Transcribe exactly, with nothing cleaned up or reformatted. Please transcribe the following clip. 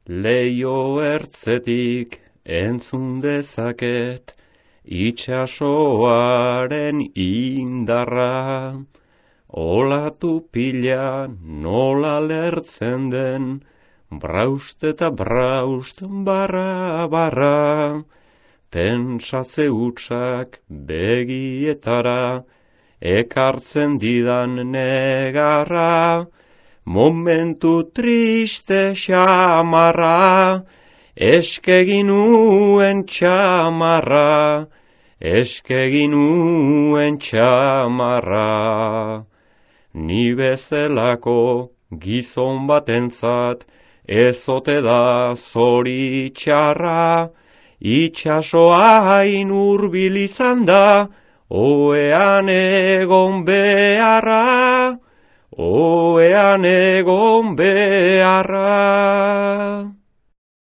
Leio ertzetik entzun dezaket, itxasoaren indarra. Olatu pila nola lertzen den, braust eta braust barra barra. Pentsatze hutsak begietara, ekartzen didan negarra. Momentu triste xamarra, eskeginuen txamarra, eskeginuen txamarra. Ni bezelako gizon batentzat, ezote da zoritxarra, itxasoa hain hurbil izan da, oean egon beharra, oean egon beharra.